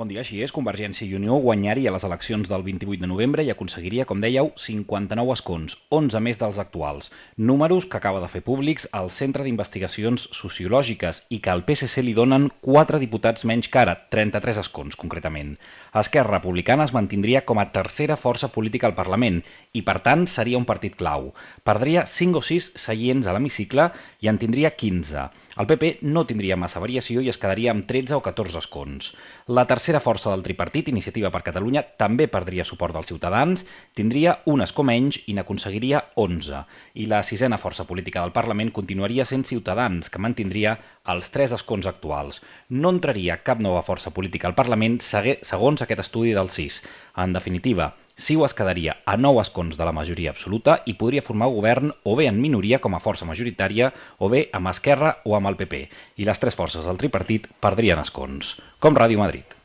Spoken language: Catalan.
Bon dia, així és. Convergència i Unió guanyaria les eleccions del 28 de novembre i aconseguiria, com dèieu, 59 escons, 11 més dels actuals. Números que acaba de fer públics el Centre d'Investigacions Sociològiques i que al PSC li donen 4 diputats menys que ara, 33 escons, concretament. Esquerra Republicana es mantindria com a tercera força política al Parlament i, per tant, seria un partit clau. Perdria 5 o 6 seients a l'hemicicle i en tindria 15. El PP no tindria massa variació i es quedaria amb 13 o 14 escons. La tercera força del tripartit, Iniciativa per Catalunya, també perdria suport dels ciutadans, tindria un escó menys i n'aconseguiria 11. I la sisena força política del Parlament continuaria sent Ciutadans, que mantindria els 3 escons actuals. No entraria cap nova força política al Parlament segons aquest estudi del CIS. En definitiva, CiU es quedaria a 9 escons de la majoria absoluta i podria formar govern o bé en minoria com a força majoritària o bé amb Esquerra o amb el PP. I les 3 forces del tripartit perdrien escons. Com Ràdio Madrid.